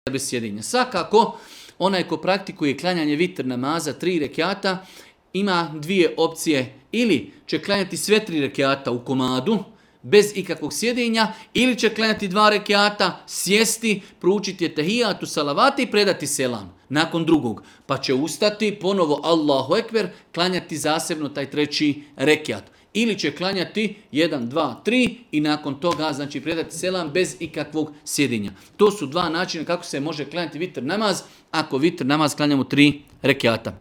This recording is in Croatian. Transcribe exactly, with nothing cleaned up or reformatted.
bez sjedinja. Svakako, onaj ko praktikuje klanjanje vitr namaza tri rekiata, ima dvije opcije. Ili će klanjati sve tri rekiata u komadu, bez ikakvog sjedinja, ili će klanjati dva rekiata, sjesti, proučiti etehijatu, salavati i predati selam nakon drugog. Pa će ustati, ponovo Allahu ekber, klanjati zasebno taj treći rekiat. Ili će klanjati jedan, dva, tri i nakon toga znači predati selam bez ikakvog sjedinja. To su dva načina kako se može klanjati vitr namaz ako vitr namaz klanjamo tri rekiata.